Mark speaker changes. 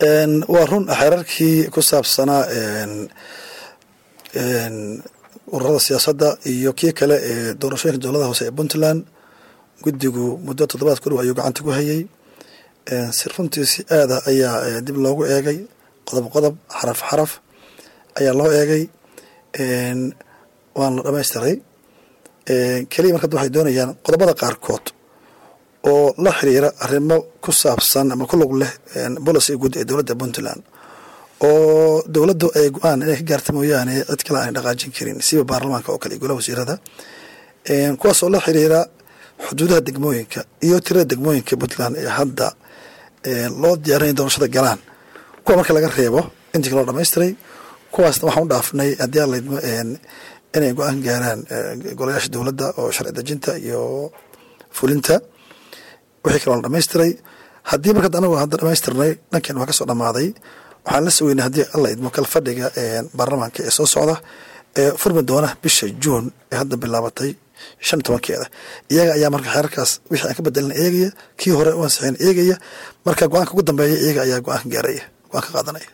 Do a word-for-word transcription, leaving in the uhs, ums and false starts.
Speaker 1: Waa run, xeerarkii ku saabsanaa ururada siyaasadda iyo kii kale ee doorashooyinka dowladaha hoose ee Puntland, guddigu muddo toddobaad ku dhow ayuu gacanta ku hayay. Si runtii si aada ayaa dib loogu eegay, qodob qodob, xaraf xaraf ayaa loo eegay, waana la dhamaystiray. Keliya marka waxay doonayaan qodobada qaarkood oo la xiriira arrimo ku saabsan ama ku lug leh policy guud ee dowladda Puntland, oo dowladdu ay go-aan inay ka gaarta mooyaane cid kale aanay dhaqaajin karin, siba baarlamaanka oo kale iyo golaha wasiirada, kuwaas oo la xiriira xuduudaha degmooyinka iyo tirada degmooyinka Puntland ee hadda loo diyaarinaya doorashada galaan. Kuwa marka laga reebo intii kaloo dhamaystiray, kuwaasna waxaan u dhaafnay haddii aan laydmo inay go-aan gaaraan golayaasha dowladda oo sharci dejinta iyo fulinta. Wixii kaloo la dhamaystiray, haddii marka anagu hadda dhamaystirnay, dhankeen waa kasoo dhamaaday. Waxaan la sugeynay haddii alla idmo kal fadhiga baarlamaanka ee soo socda ee furmi doona bisha Juun ee hadda bilaabatay shan iyo tobankeeda. Iyaga ayaa marka xeerarkaas wixii aan ka bedelin eegaya, kii hore u ansixin eegaya, marka go-aanka ugu dambeeya iyaga ayaa go-aanka gaaraya, go-aan ka qaadanaya.